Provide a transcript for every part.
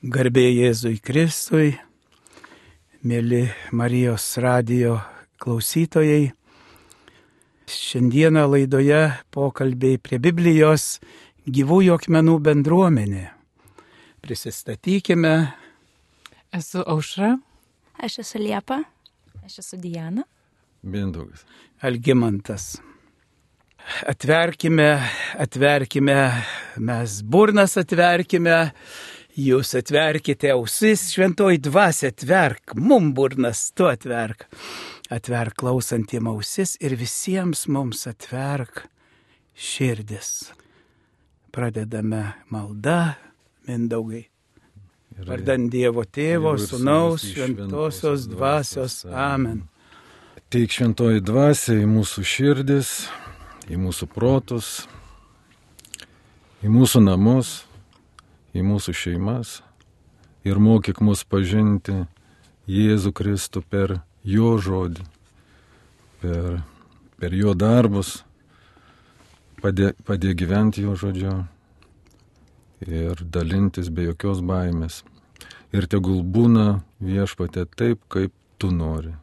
Garbė Jėzui Kristui, mėly Marijos radijo klausytojai. Šiandieną laidoje pokalbiai prie Biblijos gyvųjų akmenų bendruomenė. Prisistatykime. Esu Aušra. Aš esu Liepa. Aš esu Diana. Mindaugas. Algimantas. Atverkime, mes burnas atverkime, jūs atverkite ausis, šventoji dvasia atverk, mum burnas, tu atverk. Atverk klausantiem ausis ir visiems mums atverk širdis. Pradedame maldą, Mindaugai. Vardant Dievo Tėvo, Sūnaus, Šventosios dvasios. Amen. Teik šventoji dvasia į mūsų širdis, į mūsų protus, į mūsų namus, į mūsų šeimas ir mokyk mus pažinti Jėzų Kristų per jo žodį, per jo darbus, padė gyventi jo žodžiu ir dalintis be jokios baimės. Ir tegul būna Viešpatie taip, kaip tu nori.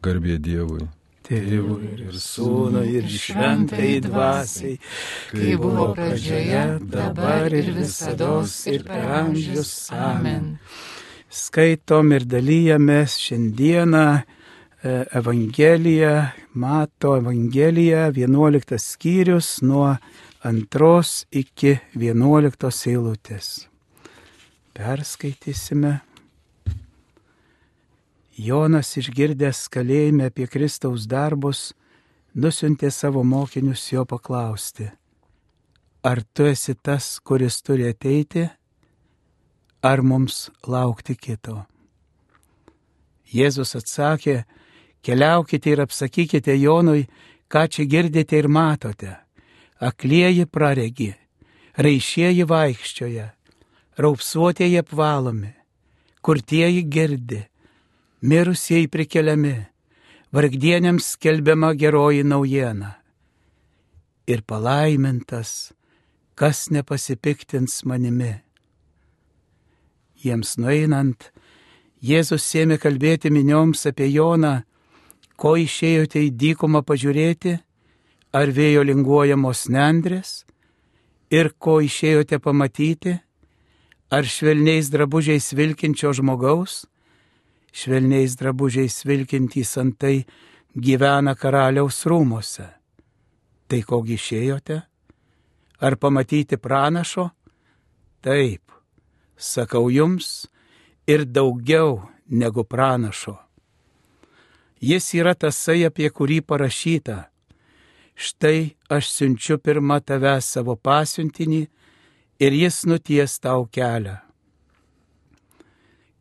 Garbė Dievui. Tėvui ir Sūnui ir Šventai dvasiai, kai buvo pradžioje, dabar ir visados ir per amžius. Amen. Skaitom ir dalyjamės šiandieną Evangeliją, Mato Evangeliją, 11 skyrius nuo 2 iki 11 eilutės. Perskaitysime. Jonas, išgirdęs kalėjime apie Kristaus darbus, nusiuntė savo mokinius jo paklausti: ar tu esi tas, kuris turi ateiti, ar mums laukti kito? Jėzus atsakė: keliaukite ir apsakykite Jonui, ką čia girdite ir matote. Aklieji praregi, raišieji vaikščioja, raupsuotieji apvalomi, kurtieji girdi, mirusieji prikeliami, vargdieniams skelbiama geroji naujiena. Ir palaimintas, kas nepasipiktins manimi. Jiems nueinant, Jėzus ėmė kalbėti minioms apie Joną: ko išėjote į dykumą pažiūrėti, ar vėjo linguojamos nendrės, ir ko išėjote pamatyti, ar švelniais drabužiais vilkinčio žmogaus. Švelniais drabužiais vilkintys antai gyvena karaliaus rūmuose. Tai kogi išėjote? Ar pamatyti pranašo? Taip, sakau jums, ir daugiau negu pranašo. Jis yra tasai, apie kurį parašyta: štai aš siunčiu pirma tavęs savo pasiuntinį, ir jis nuties tau kelią.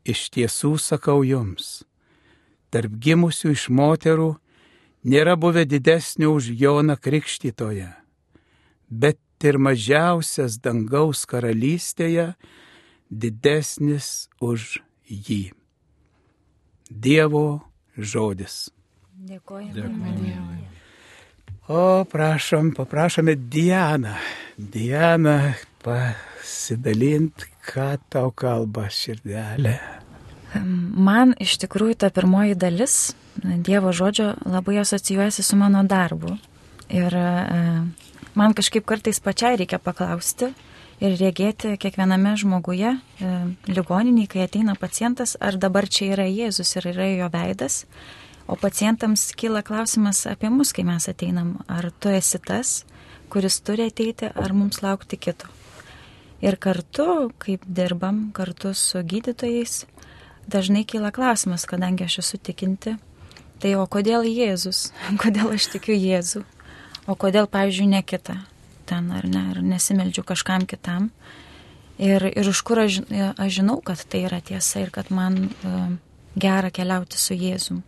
Iš tiesų sakau jums, tarp gimusių iš moterų nėra buvę didesnio už Joną Krikštytoją, bet ir mažiausias dangaus karalystėje didesnis už jį. Dievo žodis. Dėkojame Dievui. O paprašome Dianą. Diana, pasidalint, ką tau kalba širdelė. Man iš tikrųjų ta pirmoji dalis Dievo žodžio labai asocijuojasi su mano darbu. Ir man kažkaip kartais pačiai reikia paklausti ir regėti kiekviename žmoguje, ligoniniai, kai ateina pacientas, ar dabar čia yra Jėzus ir yra jo veidas. O pacientams kyla klausimas apie mus, kai mes ateinam: ar tu esi tas, kuris turi ateiti, ar mums laukti kito. Ir kartu, kaip dirbam kartu su gydytojais, dažnai kyla klausimas, kadangi aš esu tikinti, tai o kodėl Jėzus? Kodėl aš tikiu Jėzų? O kodėl, pavyzdžiui, ne kita? Ten ar ne, ar nesimeldžiu kažkam kitam? Ir iš kur aš žinau, kad tai yra tiesa ir kad man gera keliauti su Jėzum.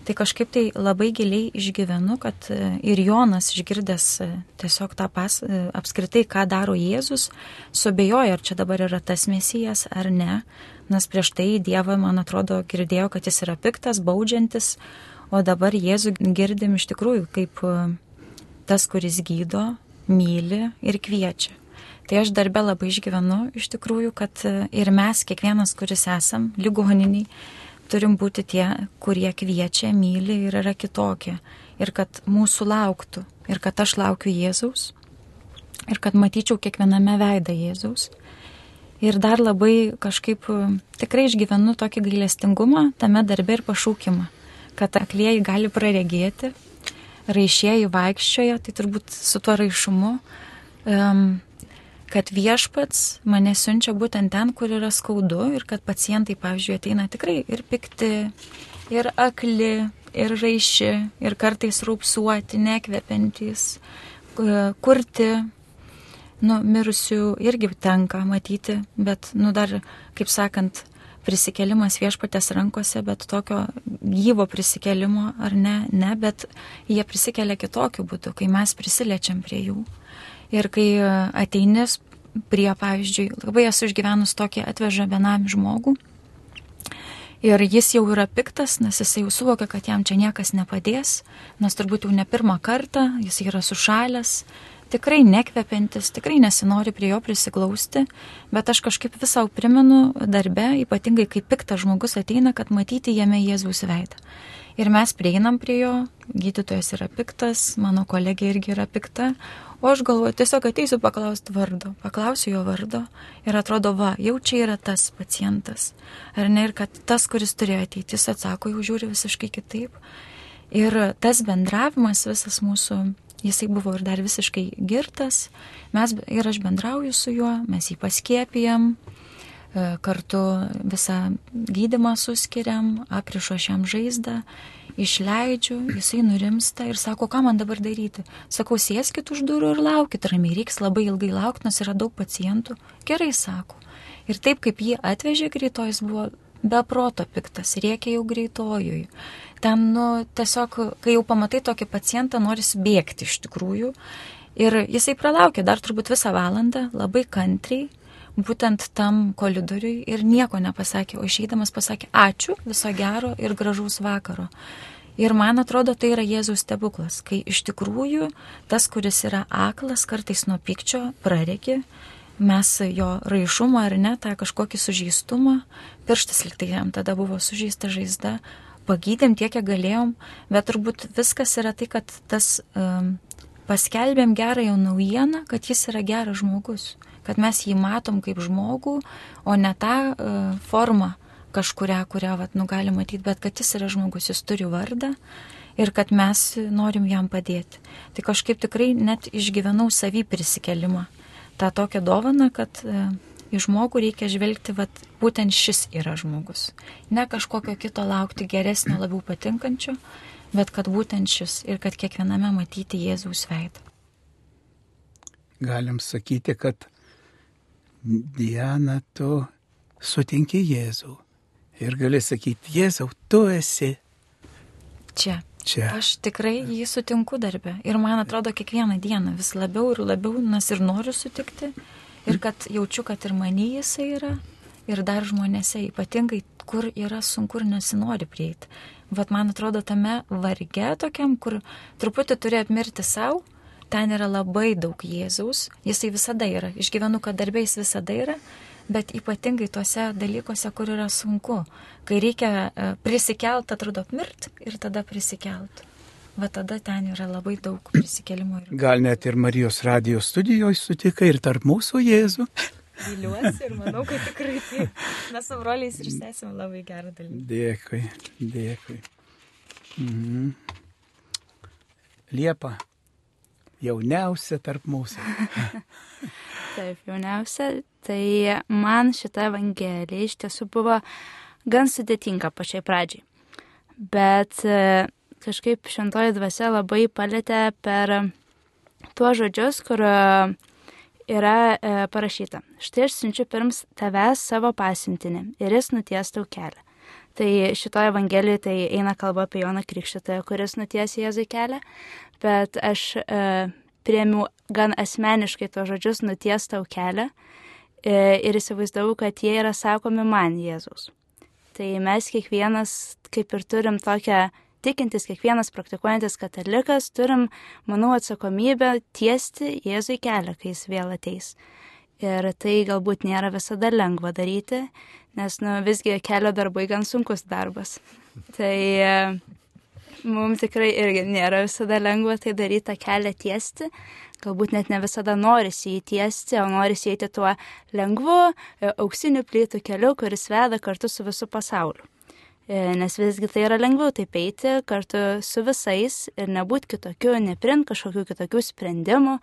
Tai kažkaip tai labai giliai išgyvenu, kad ir Jonas, išgirdęs tiesiog tą apskritai, ką daro Jėzus, suabejoja, ar čia dabar yra tas Mesijas ar ne, nes prieš tai Dievą, man atrodo, girdėjo, kad jis yra piktas, baudžiantis, o dabar Jėzų girdim iš tikrųjų kaip tas, kuris gydo, myli ir kviečia. Tai aš darbe labai išgyvenu iš tikrųjų, kad ir mes, kiekvienas, kuris esam ligoniniai, turim būti tie, kurie kviečia, myli ir yra kitokie. Ir kad mūsų lauktų. Ir kad aš laukiu Jėzaus. Ir kad matyčiau kiekviename veidą Jėzaus. Ir dar labai kažkaip tikrai išgyvenu tokį gailestingumą tame darbe ir pašaukimą. Kad aklieji gali praregėti, raišieji vaikščioja, tai turbūt su tuo raišumu, kad viešpats mane siunčia būtent ten, kur yra skaudu ir kad pacientai, pavyzdžiui, ateina tikrai ir pikti, ir akli, ir raiši, ir kartais raupsuoti, nekvepiantys, kurti, mirusių irgi tenka matyti, bet, dar, kaip sakant, prisikėlimas viešpatės rankose, bet tokio gyvo prisikelimo ar ne, bet jie prisikelia kitokiu būdu, kai mes prisiliečiam prie jų. Ir kai ateinis prie, pavyzdžiui, labai esu išgyvenus tokį, atveža benamį žmogų ir jis jau yra piktas, nes jis jau suvokia, kad jam čia niekas nepadės, nes turbūt jau ne pirmą kartą, jis yra sušalęs, tikrai nekvepiantis, tikrai nesinori prie jo prisiglausti, bet aš kažkaip visau primenu darbe, ypatingai kai piktas žmogus ateina, kad matyti jame Jėzaus veidą. Ir mes prieinam prie jo, gydytojas yra piktas, mano kolegė irgi yra pikta, o aš galvoju, tiesiog ateisiu paklausti vardo, paklausiu jo vardo ir atrodo, jau čia yra tas pacientas. Ar ne, ir kad tas, kuris turėjo ateiti, jis atsako, jau žiūri visiškai kitaip. Ir tas bendravimas visas mūsų, jisai buvo ir dar visiškai girtas, ir aš bendrauju su juo, mes jį paskiepijam, kartu visą gydymą suskiriam, aprišu aš jam žaizdą, išleidžiu, jisai nurimsta ir sako, ką man dabar daryti. Sakau, sėskit už durų ir laukit ramiai, reiks labai ilgai laukti, nes yra daug pacientų. Gerai, sako. Ir taip kaip jį atvežė greitojus, buvo be proto piktas, rėkė jau greitojui. Ten, tiesiog, kai jau pamatai tokį pacientą, norisi bėgti iš tikrųjų. Ir jisai pralaukė dar turbūt visą valandą, labai kantriai, būtent tam koridoriui ir nieko nepasakė, o išeidamas pasakė ačiū, viso gero ir gražaus vakaro. Ir man atrodo, tai yra Jėzaus stebuklas, kai iš tikrųjų tas, kuris yra aklas, kartais nuo pykčio praregi, mes jo raišumą ar ne, tą kažkokį sužeistumą, pirštas liktai jam tada buvo sužeista žaizda, pagydėm tiek, kiek galėjom, bet turbūt viskas yra tai, kad tas paskelbėm gerąją naujieną, kad jis yra geras žmogus, kad mes jį matom kaip žmogų, o ne tą formą kažkurią, kurią gali matyti, bet kad jis yra žmogus, jis turi vardą ir kad mes norim jam padėti. Tai kažkaip tikrai net išgyvenau savį prisikelimą. tą tokią dovaną, kad į žmogų reikia žvelgti, būtent šis yra žmogus. Ne kažkokio kito laukti geresnio, labiau patinkančio, bet kad būtent šis ir kad kiekviename matyti Jėzaus veidą. Galim sakyti, kad Diana, tu sutinki Jėzų. Ir gali sakyti, Jėzau, tu esi čia. Čia. Aš tikrai jį sutinku darbe. Ir man atrodo, kiekvieną dieną vis labiau ir labiau, nes ir noriu sutikti. Ir kad jaučiu, kad ir many jisai yra. Ir dar žmonėse, ypatingai, kur yra sunku ir nesinori prieiti. Man atrodo, tame varge tokiam, kur truputį turi apmirti savo, ten yra labai daug Jėzaus. Jisai visada yra. Išgyvenu, kad darbės visada yra. Bet ypatingai tuose dalykuose, kur yra sunku, kai reikia prisikelt, atrodo apmirt ir tada prisikelt. Tada ten yra labai daug prisikelimo. Gal net ir Marijos radijos studijoje sutikai ir tarp mūsų Jėzų. Viliuosi ir manau, kad tikrai taip. Mes su broliais ir sesėm labai gerą dalyką. Dėkui. Liepa, jauniausia tarp mūsų. Taip, jauniausia, tai man šita evangelija iš tiesų buvo gan sudėtinga pačiai pradžiai. Bet kažkaip šventoji dvasia labai palėtė per tuos žodžius, kur yra parašyta. Štai aš siunčiu pirms tavęs savo pasiuntinį ir jis nuties tau kelią. Tai šitoje evangelijoje tai eina kalba apie Joną Krikštytoją, kuris nuties Jėzui kelią, bet aš priėmiau gan asmeniškai to žodžius nuties tau kelią ir įsivaizdavau, kad jie yra sakomi man Jėzaus. Tai mes kiekvienas, kaip ir turim tokią tikintis, kiekvienas praktikuojantis katalikas, turim, manau, atsakomybę tiesti Jėzui kelią, kai jis vėl ateis. Ir tai galbūt nėra visada lengva daryti, nes visgi kelio darbai gan sunkus darbas. Tai mums tikrai irgi nėra visada lengva tai daryti, tą kelią tiesti. Galbūt net ne visada norisi jį tiesti, o norisi eiti tuo lengvu, auksiniu plytų keliu, kuris veda kartu su visu pasauliu. Nes visgi tai yra lengviau taip eiti kartu su visais ir nebūti kitokiu, neprimti kažkokių kitokių sprendimų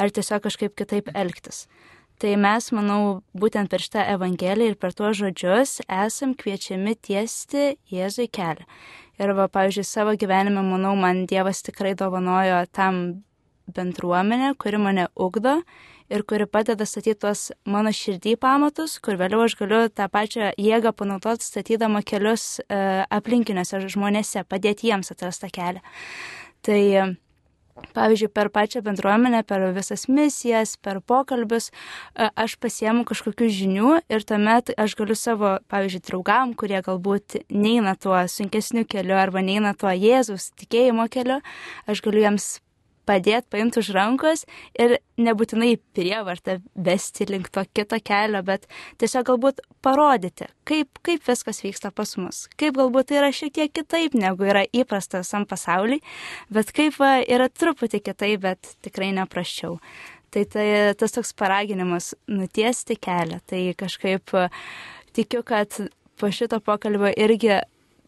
ar tiesiog kažkaip kitaip elgtis. Tai mes, manau, būtent per šitą Evangeliją ir per tuos žodžius esam kviečiami tiesti Jėzui kelią. Ir pavyzdžiui, savo gyvenime, manau, man Dievas tikrai dovanojo tam bendruomenę, kuri mane ugdo ir kuri padeda statyti tuos mano širdį pamatus, kur vėliau aš galiu tą pačią jėgą panaudoti statydama kelius aplinkiniuose žmonėse, padėti jiems atrasti tą kelią. Tai pavyzdžiui, per pačią bendruomenę, per visas misijas, per pokalbius, aš pasiemu kažkokių žinių ir tuomet aš galiu savo, pavyzdžiui, draugam, kurie galbūt neina tuo sunkesniu keliu arba neina tuo Jėzaus tikėjimo keliu, aš galiu jiems padėti, paimti už rankos ir nebūtinai prievartą vesti link to kito kelio, bet tiesiog galbūt parodyti, kaip viskas vyksta pas mus. Kaip galbūt tai yra šiek tiek kitaip, negu yra įprasta visam pasauliui, bet kaip yra truputį kitaip, bet tikrai neprasčiau. Tai tas toks paraginimas nutiesti kelią. Tai kažkaip tikiu, kad po šito pokalbio irgi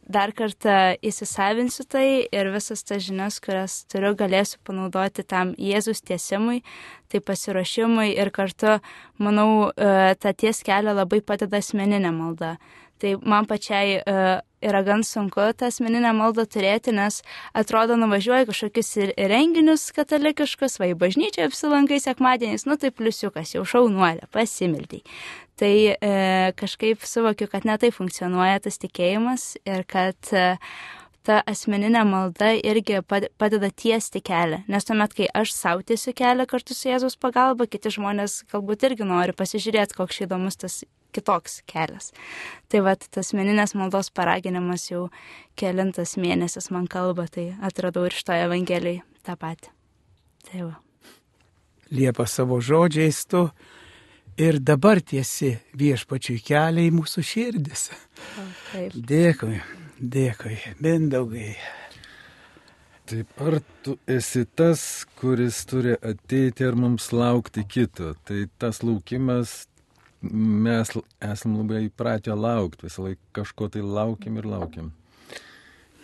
dar kartą įsisavinsiu tai ir visas tas žinias, kurias turiu, galėsiu panaudoti tam Jėzus tiesimui, tai pasiruošimui ir kartu, manau, tą ties kelią labai padeda asmeninė malda. Tai man pačiai yra gan sunku tą asmeninę maldą turėti, nes atrodo nuvažiuoju kažkokius renginius katalikiškus, į bažnyčią apsilankai sekmadieniais, tai pliusiukas, jau šaunuolė, pasimildai. Tai kažkaip suvokiu, kad ne tai funkcionuoja tas tikėjimas ir kad ta asmeninė malda irgi padeda tiesti kelią. Nes tuomet, kai aš sau tiesiu kelią kartu su Jėzaus pagalba, kiti žmonės galbūt irgi nori pasižiūrėti, koks įdomus tas kitoks kelias. Tai tas asmeninės maldos paraginimas jau kelintas mėnesis man kalba, tai atradau ir šitoje Evangelijoje tą patį. Tai va. Liepa savo žodžiais tu ir dabar tiesi viešpačiui kelią į mūsų širdis. Taip. Dėkui, Mindaugai. Taip, ar tu esi tas, kuris turi ateiti ir mums laukti kito? Tai tas laukimas, mes esam labai įpratę laukti, visą laiką kažko tai laukiam ir laukiam.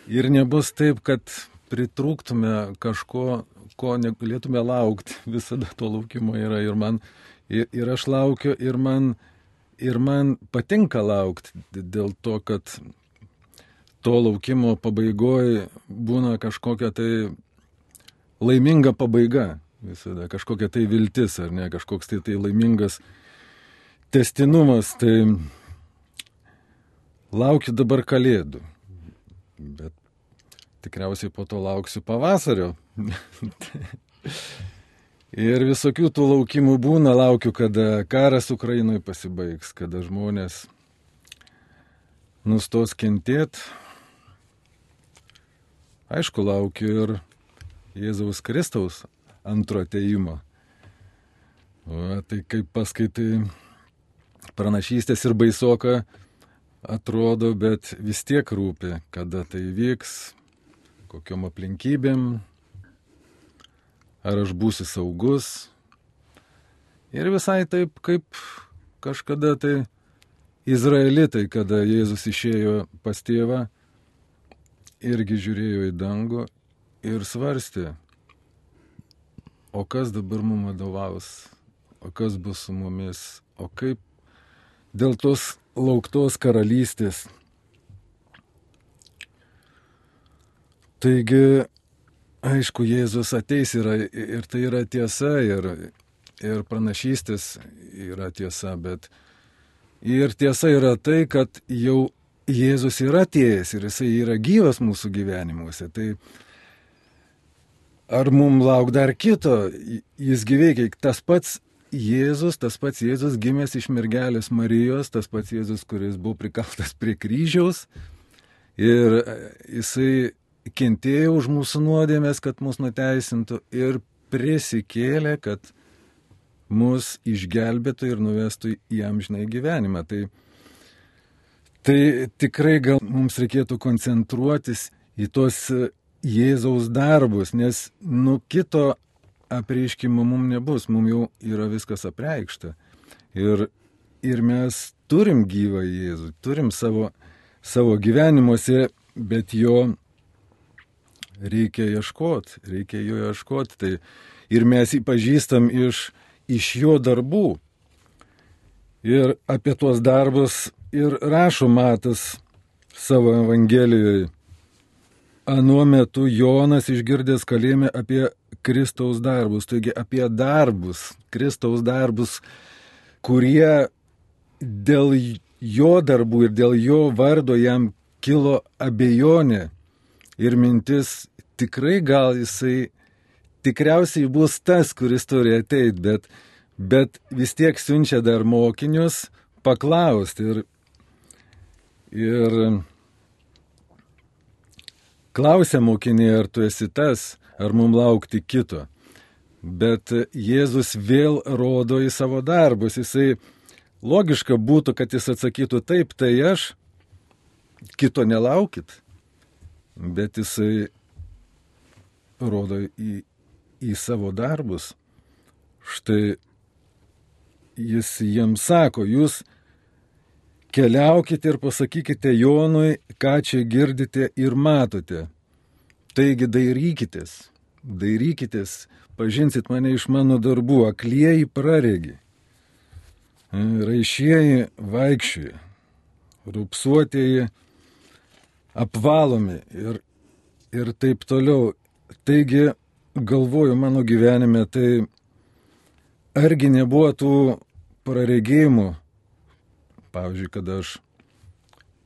Ir nebus taip, kad pritrūktume kažko, ko negalėtume laukti. Visada to laukimo yra ir aš laukiu ir man patinka laukti dėl to, kad to laukimo pabaigoje būna kažkokia tai laiminga pabaiga, visada kažkokia tai viltis, ar ne, kažkoks tai laimingas tęstinumas. Tai laukiu dabar Kalėdų, bet tikriausiai po to lauksiu pavasario. Ir visokių tų laukimų būna, laukiu, kada karas Ukrainoje pasibaigs, kada žmonės nustos kentėti. Aišku, laukiu ir Jėzaus Kristaus antro atėjimo. Tai kaip paskaitai pranašystės ir baisoka atrodo, bet vis tiek rūpi, kada tai vyks, kokiom aplinkybėm, ar aš būsiu saugus. Ir visai taip, kaip kažkada tai izraelitai, kada Jėzus išėjo pas tėvą, irgi žiūrėjo į dangų ir svarstė, o kas dabar mums vadovaus, o kas bus su mumis, o kaip dėl tos lauktos karalystės. Taigi, aišku, Jėzus ateis ir tai yra tiesa, ir pranašystės yra tiesa, bet ir tiesa yra tai, kad jau Jėzus yra atėjęs ir jisai yra gyvas mūsų gyvenimuose. Tai ar mums lauk dar kito? Jis gyveikia. Tas pats Jėzus gimęs iš mergelės Marijos, tas pats Jėzus, kuris buvo prikaltas prie kryžiaus ir jisai kentėjo už mūsų nuodėmės, kad mus nuteisintų ir prisikėlė, kad mus išgelbėtų ir nuvestų į amžinąjį gyvenimą. Tai tikrai gal mums reikėtų koncentruotis į tos Jėzaus darbus, nes kito apreiškimo mums nebus, mums jau yra viskas apreikšta. Ir mes turim gyvą Jėzų, turim savo gyvenimuose, bet jo reikia jo ieškoti. Tai ir mes jį pažįstam iš jo darbų. Ir apie tuos darbus ir rašo Matas savo Evangelijoje. Anuo metu Jonas išgirdęs kalėjime apie Kristaus darbus, taigi apie darbus, Kristaus darbus, kurie dėl jo darbų ir dėl jo vardo jam kilo abejonė ir mintis, tikrai gal jisai tikriausiai bus tas, kuris turi ateiti, bet vis tiek siunčia dar mokinius paklausti ir klausia mokiniai, ar tu esi tas, ar mums laukti kito. Bet Jėzus vėl rodo į savo darbus. Jisai logiška būtų, kad jis atsakytų taip, tai aš, kito nelaukit. Bet jisai rodo į savo darbus. Štai jis jiems sako, jūs keliaukite ir pasakykite Jonui, ką čia girdite ir matote. Taigi dairykitės, pažinsit mane iš mano darbų, aklieji praregi, raišieji vaikščioja, rupsuotieji apvalomi ir taip toliau. Taigi, galvoju mano gyvenime, tai argi nebuvo tų praregėjimų, pavyzdžiui, kada aš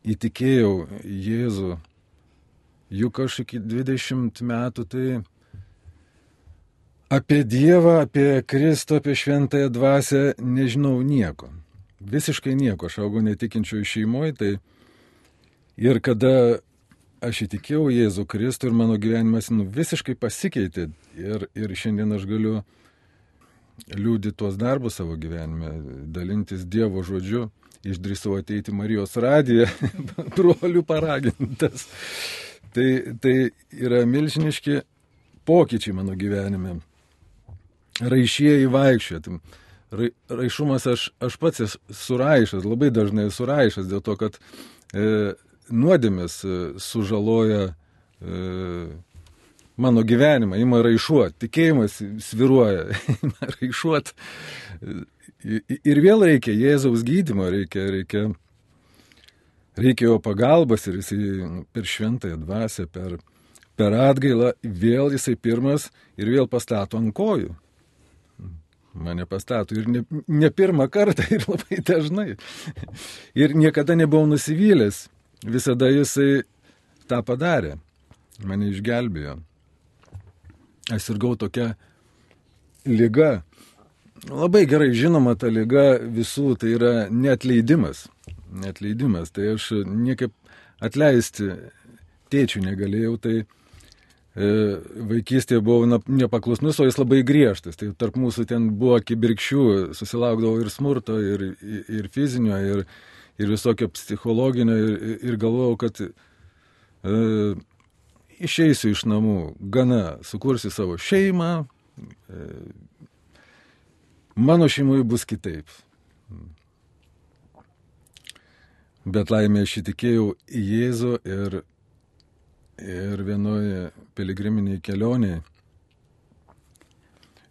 įtikėjau Jėzų, juk aš iki 20 metų tai apie Dievą, apie Kristų, apie šventąją dvasią nežinau nieko. Visiškai nieko. Aš augau netikinčioj šeimoje, tai ir kada aš įtikėjau Jėzų Kristų ir mano gyvenimas visiškai pasikeitė ir šiandien aš galiu liudyti tuos darbus savo gyvenime, dalintis Dievo žodžiu. Išdrįsau ateiti Marijos radiją, brolių paragintas. Tai yra milžiniški pokyčiai mano gyvenime. Raišieji vaikščioja. Raišumas aš pats esu raišas, labai dažnai esu raišas, dėl to, kad nuodėmės sužaloja mano gyvenimą, ima raišuot, tikėjimas sviruoja, ima raišuot. Ir vėl reikia Jėzaus gydymo, reikia jo pagalbos ir jisai per šventąją dvasią, per atgailą, vėl jisai pirmas ir vėl pastato ant kojų. Mane pastato ir ne pirmą kartą ir labai dažnai. Ir niekada nebuvau nusivylęs, visada jisai tą padarė, mane išgelbėjo. Aš sirgau tokia liga. Labai gerai žinoma ta liga visų, tai yra neatleidimas. Tai aš niekaip atleisti tėčių negalėjau, tai vaikystėje buvau nepaklusnus, o jis labai griežtas. Tai tarp mūsų ten buvo kibirkščių, susilaukdavau ir smurto, ir fizinio, ir visokio psichologinio, ir galvojau, kad išeisiu iš namų, gana, sukursiu savo šeimą, mano šeimoje bus kitaip. Bet laimė aš įtikėjau į Jėzų ir vienoje piligriminėje kelionėje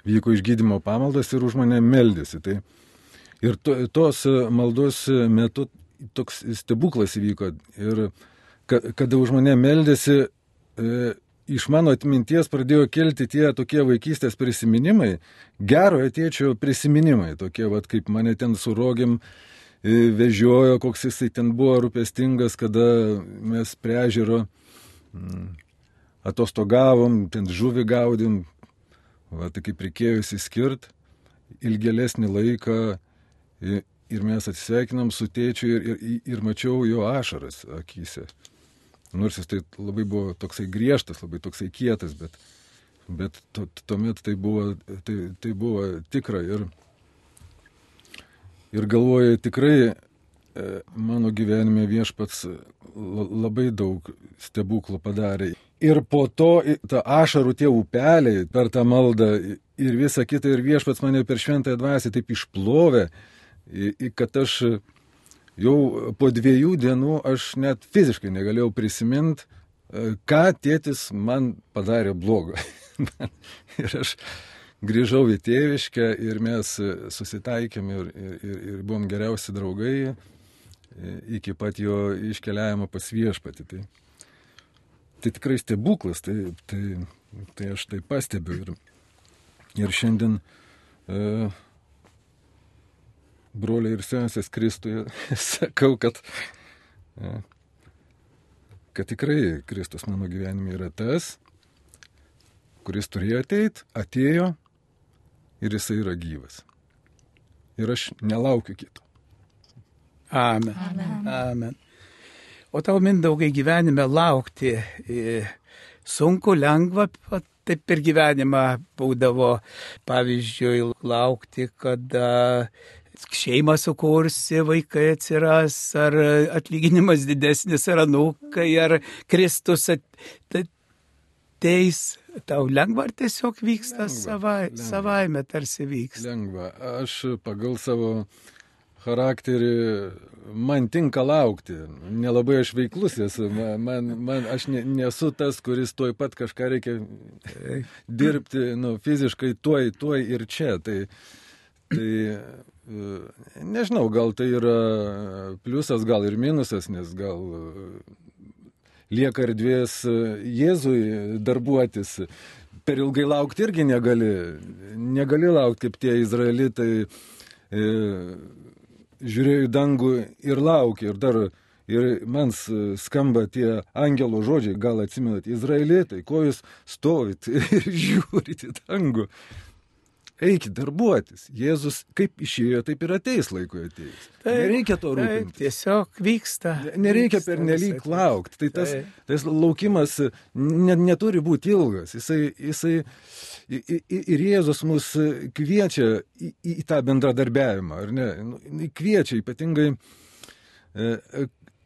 vyko išgydymo pamaldas ir už mane meldėsi. Ir tos maldos metu toks stebuklas įvyko. Ir kada už mane meldėsi, iš mano atminties pradėjo kelti tie tokie vaikystės prisiminimai, gerojo tėčio prisiminimai, tokie, kaip mane ten su rogėm vežiojo, koks jisai ten buvo rūpestingas, kada mes prie ežero atostogavom, ten žuvį gaudėm, tai kaip reikėjo įsiskirt ilgėlesnį laiką ir mes atsisveikinam su tėčiu ir mačiau jo ašaras akyse. Nors jis tai labai buvo toksai griežtas, labai toksai kietas, bet tuomet tai buvo tikra. Ir galvoju, tikrai mano gyvenime Viešpats labai daug stebuklų padarė. Ir po to ta ašarų tie upeliai per tą maldą ir visą kitą, ir Viešpats mane per šventąją dvasią taip išplovė, kad aš jau po 2 dienų aš net fiziškai negalėjau prisiminti, ką tėtis man padarė blogo. Ir aš grįžau į tėviškę ir mes susitaikėm ir buvom geriausi draugai iki pat jo iškeliavimo pas Viešpatį. Tai tikrai stebuklas, tai aš tai pastebiu. Ir šiandien broliai ir sesės Kristuje sakau, kad tikrai Kristus mano gyvenime yra tas, kuris turėjo ateit, atėjo ir jisai yra gyvas. Ir aš nelaukiu kito. Amen. Amen. Amen. O tau, Mindaugai, gyvenime laukti sunku, lengva, taip per gyvenimą būdavo, pavyzdžiui, laukti, kada šeimą sukursi, vaikai atsiras, ar atlyginimas didesnis, ar anūkai, ar Kristus ateis. Tau lengva ar tiesiog vyksta savaime tarsi vyksta? Lengva. Aš pagal savo charakterį, man tinka laukti. Nelabai aš veiklus esu. Aš nesu tas, kuris tuoj pat kažką reikia dirbti fiziškai tuoj ir čia. Tai nežinau, gal tai yra pliusas, gal ir minusas, nes gal lieka erdvės Jėzui darbuotis. Per ilgai laukti irgi negali. Negali laukti, kaip tie izraelitai žiūrėjo į dangų ir laukė. Ir man skamba tie angelo žodžiai, gal atsimenat, izraelitai, ko jūs stovit ir žiūrit į dangų. Eikit darbuotis. Jėzus kaip išėjo, taip ir ateis laikui ateis. Nereikia to rūpintis. Tiesiog vyksta. Nereikia pernelyg laukti. Tai tas laukimas neturi būti ilgas. Jisai ir Jėzus mus kviečia į tą bendradarbiavimą, ar ne? Kviečia ypatingai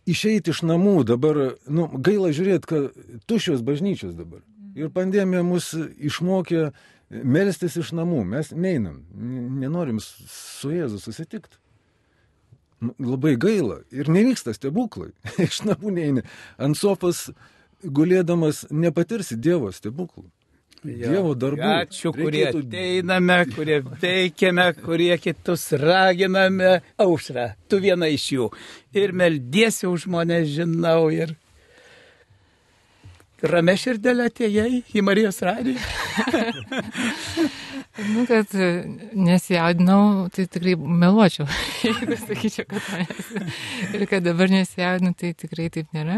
išeiti iš namų. Dabar, gaila žiūrėti, kad tuščios bažnyčios dabar. Ir pandemija mus išmokė melstis iš namų. Mes neinam, nenorim su Jėzu susitikti. Labai gaila. Ir nevyksta stebuklai. Iš namų neini. Ant sofos gulėdamas nepatirsi Dievo stebuklų. Dievo darbų. Ačiū, kurie ateiname, kurie veikiame, kurie kitus raginame. Aušra, tu viena iš jų. Ir meldiesi už mane, žinau, ir ramia širdelė atėjai į Marijos radiją. Kad nesijaudinau, tai tikrai meluočiau, jeigu sakyčiau, kad manęs. Ir kad dabar nesijaudinu, tai tikrai taip nėra.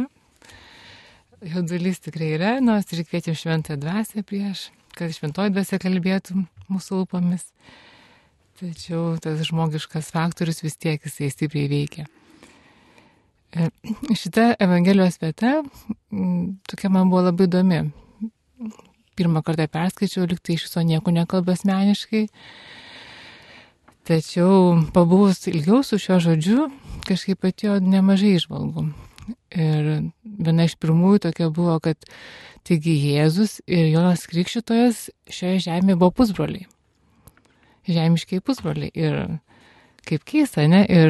Jaudulys tikrai yra, nors ir kviečiam šventąją dvasią prieš, kad šventoji dvasia kalbėtų mūsų lūpomis. Tačiau tas žmogiškas faktorius vis tiek jisai stipriai veikia. Šita Evangelijos vieta tokia man buvo labai įdomi. Pirmą kartą perskaičiau, lyg tai iš viso nieko nekalba asmeniškai. Tačiau pabuvus ilgiau su šiuo žodžiu, kažkaip atėjo nemažai įžvalgų. Ir viena iš pirmųjų tokia buvo, kad taigi Jėzus ir Jonas Krikštytojas šioje žemėje buvo pusbroliai. Žemiškiai pusbroliai. Ir kaip keista, ne? Ir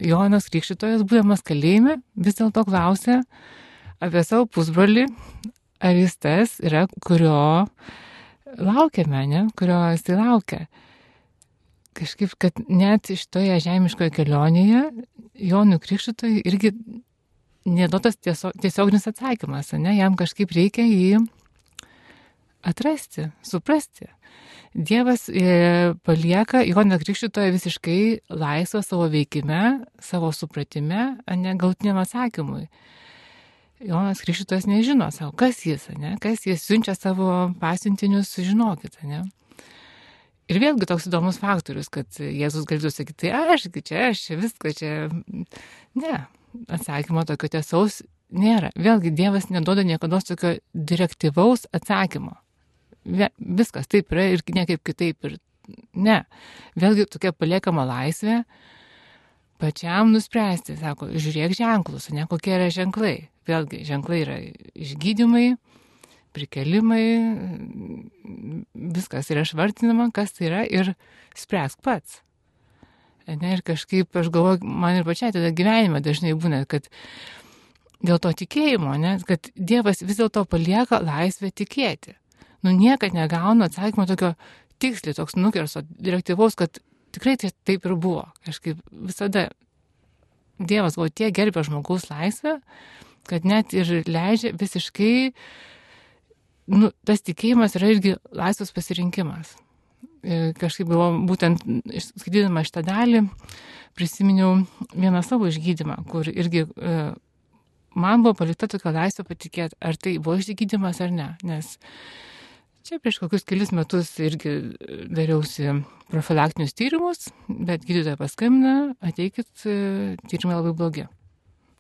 Jonas Krikštytojas, būdamas kalėjime, vis dėlto klausė apie savo pusbrolį, ar jis tas yra, kurio laukiame, ne? Kurio jisai laukia. Kažkaip, kad net šitoje žemiškoje kelionėje Jonui Krikštytojui irgi neduotas tiesioginis atsakymas, ne? Jam kažkaip reikia jį atrasti, suprasti. Dievas palieka Joną Krikštytoją visiškai laisvą savo veikime, savo supratime, ne galutiniam atsakymui. Jonas Krikštytojas nežino savo, kas jis, ne? Kas jis siunčia savo pasiuntinius, žinokit, ne? Ir vėlgi toks įdomus faktorius, kad Jėzus galėtų sakyti, tai aš viską čia. Ne, atsakymo tokio tiesaus nėra. Vėlgi Dievas neduoda niekada tokio direktyvaus atsakymo. Viskas taip yra ir ne kaip kitaip. Ir ne. Vėlgi tokia paliekama laisvė pačiam nuspręsti, sako, žiūrėk ženklus, ne kokie yra ženklai. Vėlgi, ženklai yra išgydymai, prikelimai, viskas yra išvardinama, kas tai yra ir spręsk pats. Ne, ir kažkaip, aš galvoju, man ir pačiai tada gyvenime dažnai būna, kad dėl to tikėjimo, ne, kad Dievas vis dėlto palieka laisvę tikėti. Niekad negaunu atsakymo tokio tiksliai, toks nukerso direktyvaus, kad tikrai tai taip ir buvo. Kažkaip visada Dievas gal tiek gerbė žmogaus laisvę, kad net ir leidžia visiškai, tas tikėjimas yra irgi laisvas pasirinkimas. Ir kažkaip galvoju, būtent skaitydama šitą dalį, prisiminiau vieną savo išgydymą, kur irgi man buvo palikta tokia laisvė patikėti, ar tai buvo išgydymas ar ne. Nes čia prieš kokius kelis metus irgi dariausi profilaktinius tyrimus, bet gydytoja paskambina, ateikit, tyrimai labai blogi.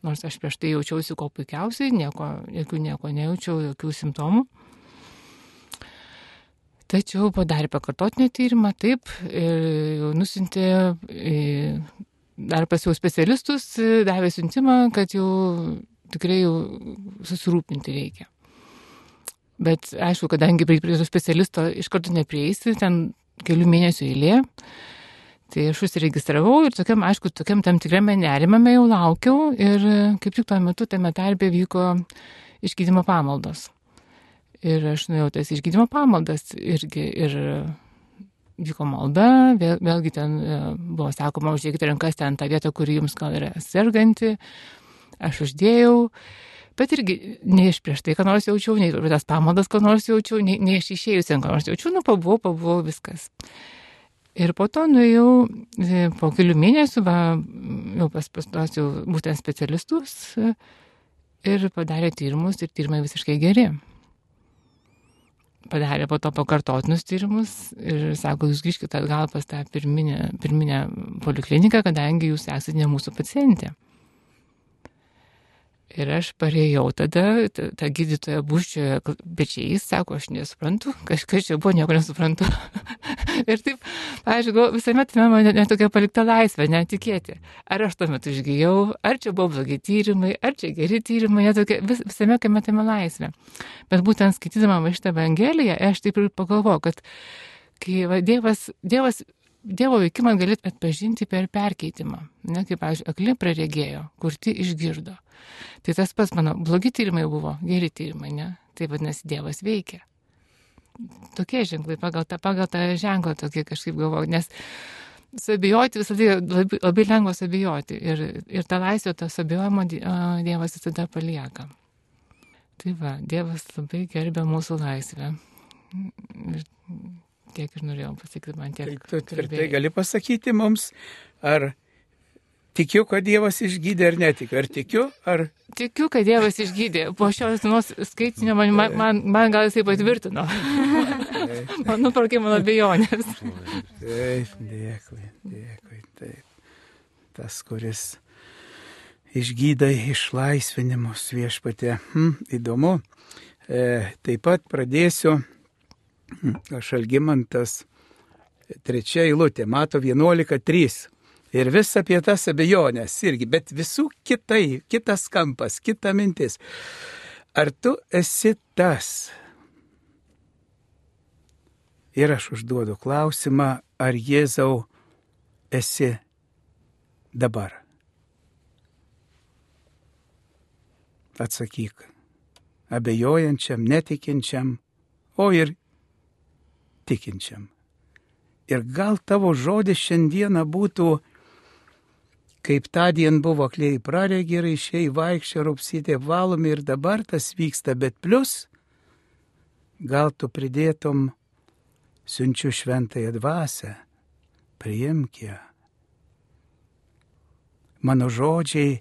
Nors aš prieš tai jaučiausi kuo puikiausiai, nieko nejaučiau, jokių simptomų. Tačiau padarė pakartotinį tyrimą, taip, jau nusintė dar pas jau specialistus, davė siuntimą, kad jau tikrai jau susirūpinti reikia. Bet aišku, kadangi prie to specialisto iš karto neprieisi, ten kelių mėnesių eilė, tai aš užsiregistravau ir tokiam tam tikrame nerimame jau laukiau ir kaip tik tuo metu tame tarpe vyko išgydymo pamaldos. Ir aš nuėjau tas išgydymo pamaldas irgi ir vyko malda, vėlgi ten buvo sakoma, uždėkite rankas ten tą vietą, kuri jums gal yra serganti. Aš uždėjau, bet irgi ne iš prieš tai, ką nors jaučiau, nei tas pamaldas, ką nors jaučiau, nei iš išėjusiam, ką nors jaučiau, pabuvau viskas. Ir po to nuėjau po kelių mėnesių, jau pas tos jau būtent specialistus ir padarė tyrimus ir tyrimai visiškai geri. Padarė po to pakartotinius tyrimus ir sako, jūs grįžkite atgal pas tą pirminę polikliniką, kadangi jūs esate ne mūsų pacientė. Ir aš parėjau tada, ta gydytoja buščioje pečiais, sako, aš nesuprantu, kažkas čia buvo, nieko nesuprantu. Ir taip, aš visame tame man netokia palikta laisvė, netikėti. Ar aš tuo metu išgyjau, ar čia buvo blogi tyrimai, ar čia geri tyrimai, netokia, visame kame tame laisvė. Bet būtent skaitydama šitą Evangeliją, aš taip ir pagalvoju, kad kai Dievo veikimą gali atpažinti per perkeitimą. Ne, kaip, pavyzdžiui, akli praregėjo, kurti išgirdo. Tai tas pats mano blogi tyrimai buvo, geri tyrimai, ne? Tai vadinasi, Dievas veikia. Tokie ženklai, pagal tą ženklą tokie kažkaip galvoju, nes sabijoti visada labai lengva sabijoti. Ir tą laisvę, tą sabijojimo Dievas visada palieka. Tai va, Dievas labai gerbė mūsų laisvę. Ir tiek ir norėjau pasakyti, man tiek. Tai tu tvirtai gali pasakyti mums, ar tikiu, kad Dievas išgydė ar netikiu? Ar tikiu, ar... Tikiu, kad Dievas išgydė. Po šios dienos skaitinio man gal jisai patvirtino. Man nuparkė mano abejonės. Taip, dėkui, taip. Tas, kuris išgydai išlaisvinimus Viešpatie. Įdomu. Taip pat pradėsiu. Aš Algimantas, 3 eilutė, mato 11:3. Ir vis apie tas abejonės irgi, bet visų kitas kampas, kita mintis. Ar tu esi tas? Ir aš užduodu klausimą, ar Jėzau esi dabar? Atsakyk, abejojančiam, netikinčiam, o ir tikinčiam. Ir gal tavo žodis šiandieną būtų, kaip tądien buvo akliai praregė, raišiai vaikščia, rupsytė valomi ir dabar tas vyksta, bet plus, gal tu pridėtum, siunčiu šventąją dvasią, priimk ją. Mano žodžiai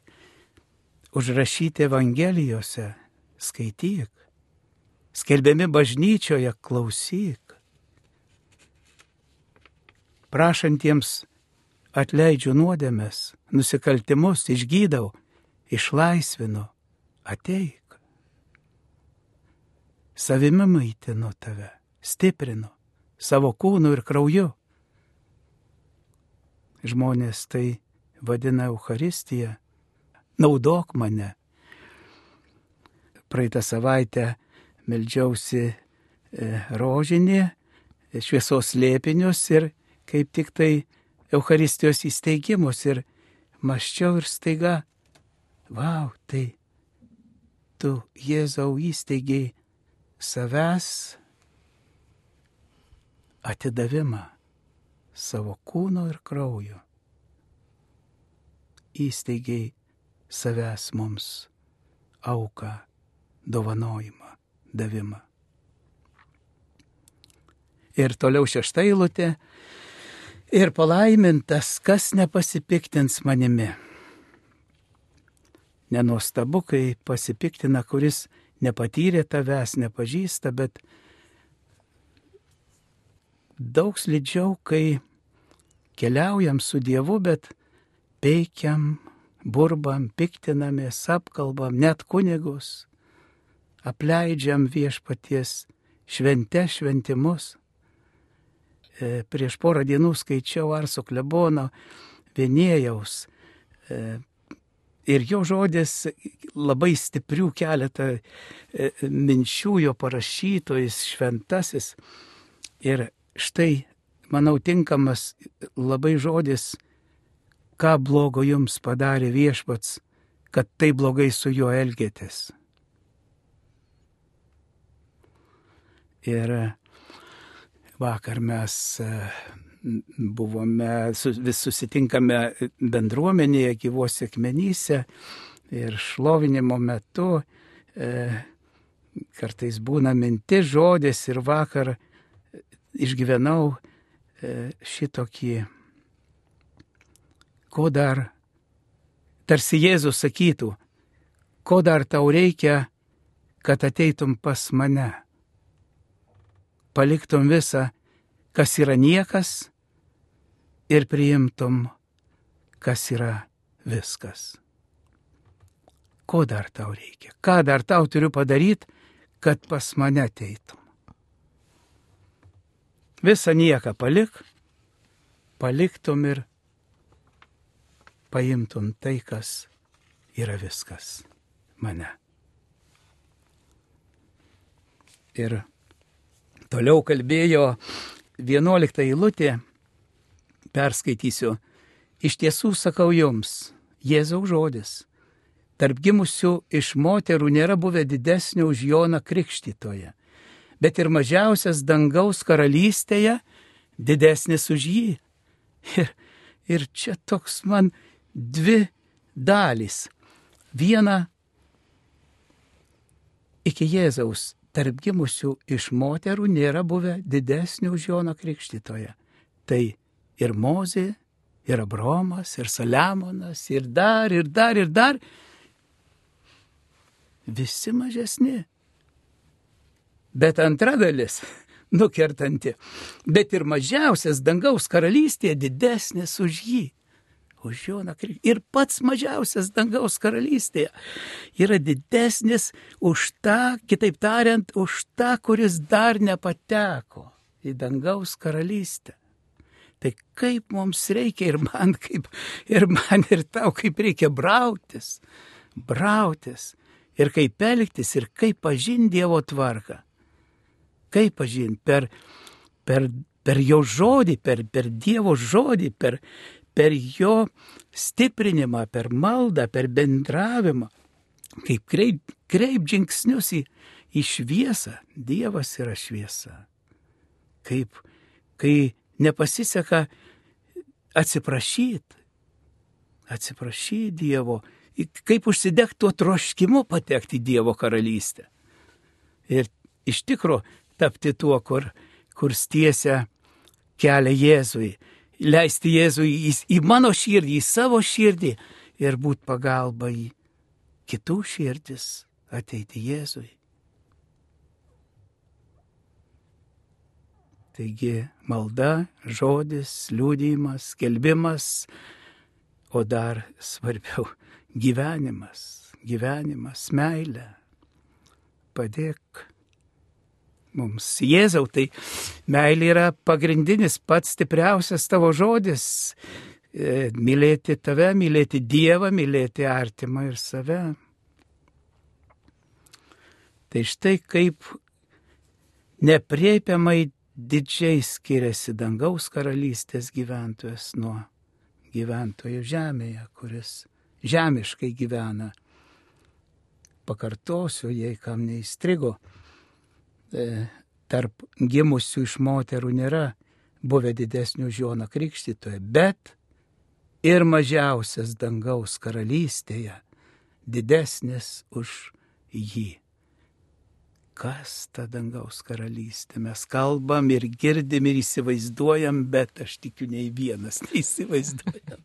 užrašyti Evangelijose, skaityk, skelbiami bažnyčioje, klausyk. Prašantiems atleidžiu nuodėmes, nusikaltimus, išgydau, išlaisvinu, ateik. Savimi maitinu tave, stiprinu, savo kūnu ir krauju. Žmonės tai vadina Eucharistiją, naudok mane. Praeitą savaitę meldžiausi rožinį, šviesos slėpinius ir kaip tik tai Eucharistijos įsteigimus ir mąsčiau ir staiga, vau, tai tu, Jėzau, įsteigiai savęs atidavimą savo kūno ir kraujo. Įsteigiai savęs mums auką, dovanojimą, davimą. Ir toliau 6 eilutė. Ir palaimintas, kas nepasipiktins manimi. Nenuostabu, kai pasipiktina, kuris nepatyrė tavęs, nepažįsta, bet daug slidžiau, kai keliaujam su Dievu, bet peikiam, burbam, piktinamės, apkalbam, net kunigus, apleidžiam viešpaties šventimus. Prieš porą dienų skaičiau Arso klebono Vienėjaus ir jo žodis labai stiprių keletą minčių jo parašyto, jis šventasis. Ir štai, manau, tinkamas labai žodis, ką blogo jums padarė viešpats, kad tai blogai su juo elgėtės. Ir vakar mes vis susitinkame bendruomenėje, gyvose akmenyse ir šlovinimo metu kartais būna mintis, žodis ir vakar išgyvenau šitokį, ko dar, tarsi Jėzus sakytų, ko dar tau reikia, kad ateitum pas mane. Paliktum visą, kas yra niekas, ir priimtum, kas yra viskas. Ko dar tau reikia? Ką dar tau turiu padaryti, kad pas mane ateitum? Visą nieką paliktum ir paimtum tai, kas yra viskas mane. Ir toliau kalbėjo 11 eilutė, perskaitysiu. Iš tiesų sakau jums, Jėzaus žodis, tarp gimusių iš moterų nėra buvę didesnio už Joną Krikštytoją, bet ir mažiausias dangaus karalystėje didesnis už jį. Ir čia toks man 2 dalys. Viena iki Jėzaus. Tarp gimusių iš moterų nėra buvę didesnių už Joną Krikštytoją. Tai ir Mozė, ir Abraomas, ir Saliamonas, ir dar. Visi mažesni. Bet antra dalis, nukertanti. Bet ir mažiausias dangaus karalystėje didesnis už jį. Už Joną Krikštytoją. Ir pats mažiausias dangaus karalystėje yra didesnis už tą, kitaip tariant, už tą, kuris dar nepateko į dangaus karalystę. Tai kaip mums reikia ir man ir tau, kaip reikia brautis ir kaip elgtis ir kaip pažinti Dievo tvarką. Kaip pažinti per jo žodį, per Dievo žodį, per jo stiprinimą, per maldą, per bendravimą, kaip kreip žingsnius į šviesą. Dievas yra šviesa. Kai nepasiseka atsiprašyti Dievo, kaip užsidegti tuo troškimu patekti į Dievo karalystę. Ir iš tikro tapti tuo, kur stiesia kelią Jėzui. Leisti Jėzui į mano širdį, į savo širdį ir būti pagalba į kitų širdis, ateiti Jėzui. Taigi malda, žodis, liudijimas, skelbimas, o dar svarbiau gyvenimas, meilė. Padėk mums. Jėzau, tai meilė yra pagrindinis, pats stipriausias tavo žodis. mylėti tave, mylėti Dievą, mylėti artimą ir save. Tai štai kaip nepriepiamai didžiai skiriasi dangaus karalystės gyventojas nuo gyventojo žemėje, kuris žemiškai gyvena. Pakartosiu, jei kam neįstrigo, tarp gimusių iš moterų nėra buvę didesnių už Joną Krikštytoją, bet ir mažiausias dangaus karalystėje didesnis už jį. Kas ta dangaus karalystė? Mes kalbam ir girdim ir įsivaizduojam, bet aš tikiu, nei vienas neįsivaizduojam,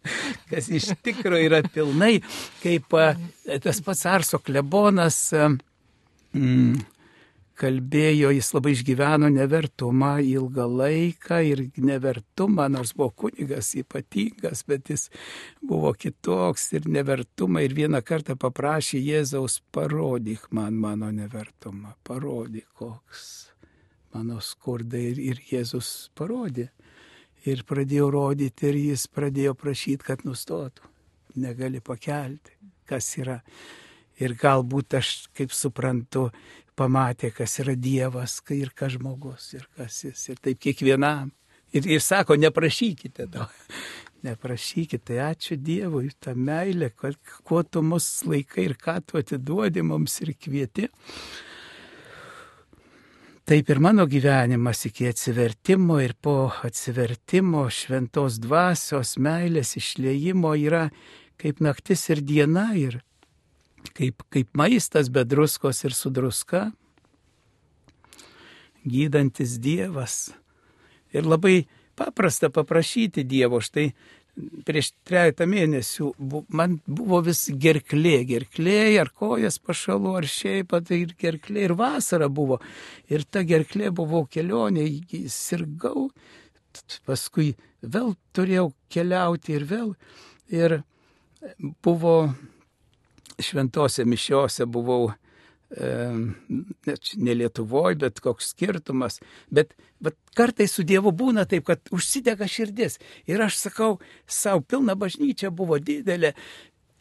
kas iš tikrųjų yra pilnai, kaip tas pats Arso klebonas kalbėjo, jis labai išgyveno nevertumą ilgą laiką ir nevertumą, nors buvo kunigas ypatingas, bet jis buvo kitoks ir nevertumą ir vieną kartą paprašė Jėzaus, parodyk man mano nevertumą, parodyk koks mano skurdai ir Jėzus parodė. Ir pradėjo rodyti ir jis pradėjo prašyti, kad nustotų, negali pakelti, kas yra. Ir galbūt aš, kaip suprantu, pamatė, kas yra Dievas ir kas žmogus ir kas jis. Ir taip kiekvienam. Ir sako, neprašykite to. Neprašykite. Ačiū Dievui, tą meilę, kuo tu mus laikai ir ką tu atiduodi mums ir kvieti. Taip ir mano gyvenimas iki atsivertimo ir po atsivertimo šventos dvasios meilės išliejimo yra kaip naktis ir diena ir kaip maistas be druskos ir su druska, gydantis Dievas. Ir labai paprasta paprašyti Dievo. Štai prieš 3 mėnesių man buvo vis gerklė ar kojas pašalu, ar šiaip, tai ir gerklė, ir vasara buvo. Ir ta gerklė buvo kelionė, sirgau, paskui vėl turėjau keliauti ir vėl. Ir buvo šventose mišiose buvau, ne Lietuvoje, bet koks skirtumas. Bet kartais su Dievu būna taip, kad užsidega širdis. Ir aš sakau, savo pilna bažnyčia buvo didelė,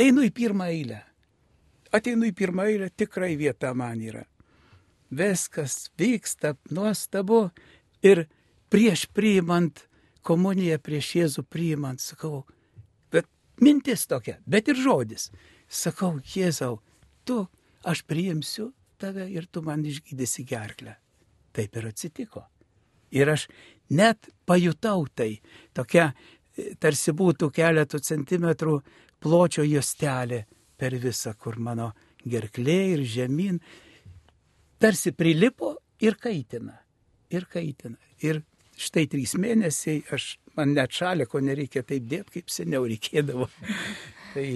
einu į pirmą eilę. Ateinu į pirmą eilę, tikrai vieta man yra. Viskas vyksta nuostabu. Ir prieš priimant komuniją, prieš Jėzų priimant, sakau, bet mintis tokia, bet ir žodis. Sakau, Jėzau, aš priimsiu tave ir tu man išgydysi gerklę. Taip ir atsitiko. Ir aš net pajutau tai. Tokia tarsi būtų keletų centimetrų pločio juostelė per visą, kur mano gerklė ir žemyn. Tarsi prilipo ir kaitina. Ir kaitina. Ir štai 3 mėnesiai, man net šaliko nereikia taip dėti, kaip seniau reikėdavo. Tai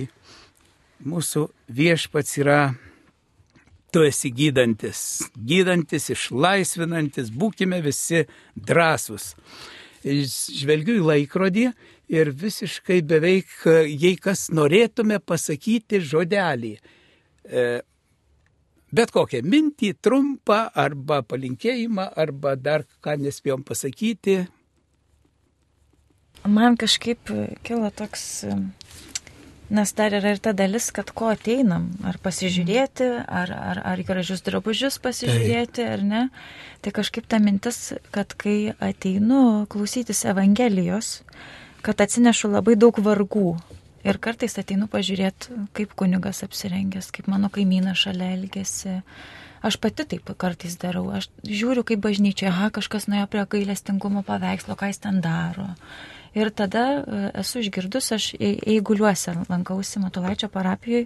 mūsų viešpats yra, tu esi gydantis, išlaisvinantis, būkime visi drąsūs. Žvelgiu į laikrodį ir visiškai beveik, jei kas norėtume pasakyti žodelį, bet kokią mintį, trumpą arba palinkėjimą, arba dar ką nespėjom pasakyti. Man kažkaip kilo toks... Nes dar yra ir ta dalis, kad ko ateinam, ar pasižiūrėti, ar gražius drabužius pasižiūrėti, ar ne. Tai kažkaip ta mintis, kad kai ateinu klausytis Evangelijos, kad atsinešu labai daug vargų. Ir kartais ateinu pažiūrėti, kaip kunigas apsirengęs, kaip mano kaimynas šalia elgėsi. Aš pati taip kartais darau. Aš žiūriu, kaip bažnyčia, kažkas nuėjo prie gailestingumo paveikslo, ką jis ten daro. Ir tada esu išgirdus, aš Eiguliuose lankausi Matulaičio parapijoje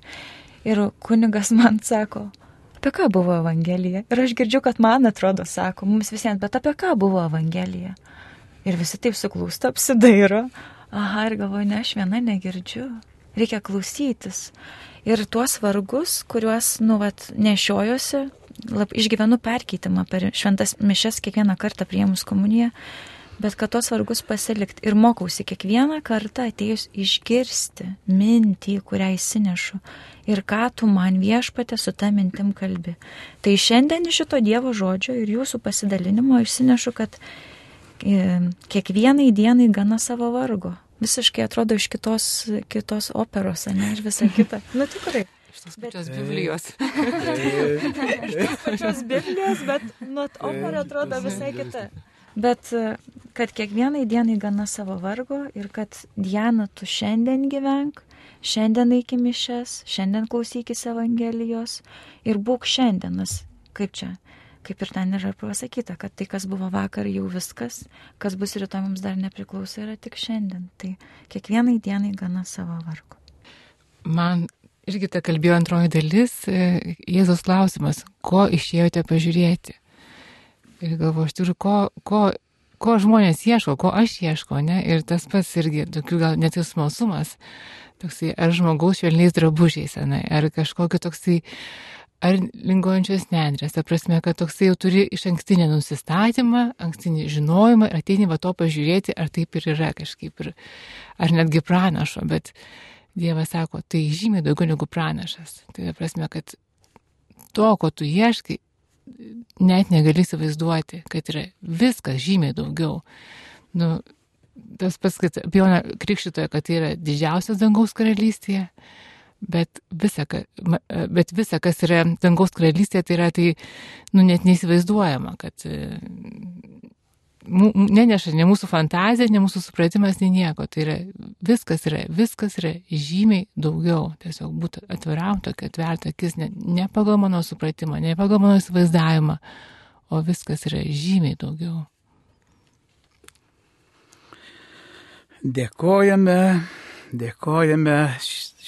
ir kunigas man sako, apie ką buvo Evangelija. Ir aš girdžiu, kad man atrodo, sako, mums visiems, bet apie ką buvo Evangelija. Ir visi taip suklūsta, apsidairo. Ir galvoju, ne, aš viena negirdžiu. Reikia klausytis. Ir tuos vargus, kuriuos, nešiojuosi, išgyvenu perkeitimą per šventas mišias kiekvieną kartą priėmus komuniją. Bet kad tos vargus pasilikti ir mokausi kiekvieną kartą atėjus išgirsti mintį, kurią įsinešu ir ką tu man viešpate su ta mintim kalbi. Tai šiandien iš šito Dievo žodžio ir jūsų pasidalinimo išsinešu, kad kiekvienai dienai gana savo vargo. visiškai atrodo iš kitos operos, ne, ir visa kita. Nu, tikrai. Iš tos pačios Biblijos. Iš tos Biblijos, bet opera atrodo visai kita. Bet kad kiekvienai dienai gana savo vargo ir kad Diana, tu šiandien gyvenk, šiandien eik į mišias, šiandien klausykis Evangelijos ir būk šiandienas, kaip ir ten yra pasakyta, kad tai, kas buvo vakar, jau viskas, kas bus rytoj mums dar nepriklauso, yra tik šiandien. Tai kiekvienai dienai gana savo vargo. Man irgi ta kalbėjo antroji dalis, Jėzaus klausimas, ko išėjote pažiūrėti. Ir galvoju, aš turiu, ko žmonės ieško, ko aš ieško, ne? Ir tas pats irgi, tokių gal net ir smalsumas, toksai, ar žmogaus švelniais drabužiais, ne? Ar kažkokio toksai, ar linguojančios nendrės, ta prasme, kad toksai jau turi iš ankstinį nusistatymą, ankstinį žinojimą ir ateini va to pažiūrėti, ar taip ir yra kažkaip, ar netgi pranašo, bet Dievas sako, tai žymiai daugiau negu pranašas. Tai ta prasme, kad to, ko tu ieškai, net negali įsivaizduoti, kad yra viskas žymiai daugiau. Nu, tas pats, kad apie Joną Krikštytoją, kad tai yra didžiausias dangaus karalystėje, bet visa, kas yra dangaus karalystėje, tai yra net neįsivaizduojama, kad neneša ne mūsų fantazija, ne mūsų supratimas, nei nieko. Tai yra viskas yra žymiai daugiau. Tiesiog būti atviram, tokia atverta akis, ne pagal mano supratimą, ne pagal mano įsivaizdavimą, o viskas yra žymiai daugiau. Dėkojame.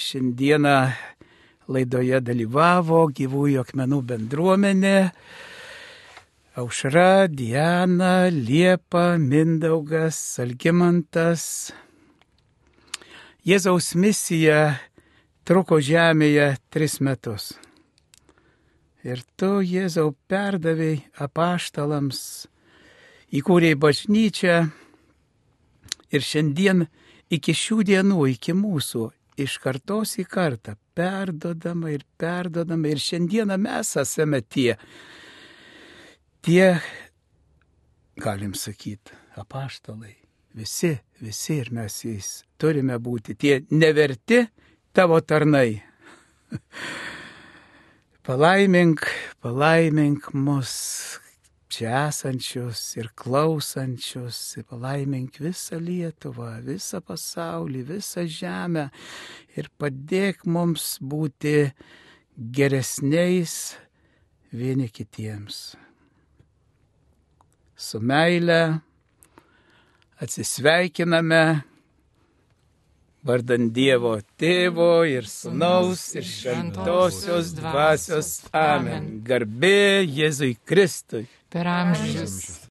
Šiandieną laidoje dalyvavo Gyvųjų akmenų bendruomenė. Aušra, Diana, Liepa, Mindaugas, Algimantas. Jėzaus misija truko žemėje 3 metus. Ir tu, Jėzau, perdavei apaštalams, įkūrei bažnyčią ir šiandien iki šių dienų, iki mūsų, iš kartos į kartą, perdodama ir šiandieną mes esame tie, galim sakyti, apaštalai, visi ir mes jais turime būti tie neverti tavo tarnai. Palaimink mus čia esančius ir klausančius, palaimink visą Lietuvą, visą pasaulį, visą žemę ir padėk mums būti geresniais vieni kitiems. Su meile atsisveikiname vardan Dievo Tėvo ir Sūnaus ir Šventosios Dvasios. Amen. Garbė Jėzui Kristui. Per amžius.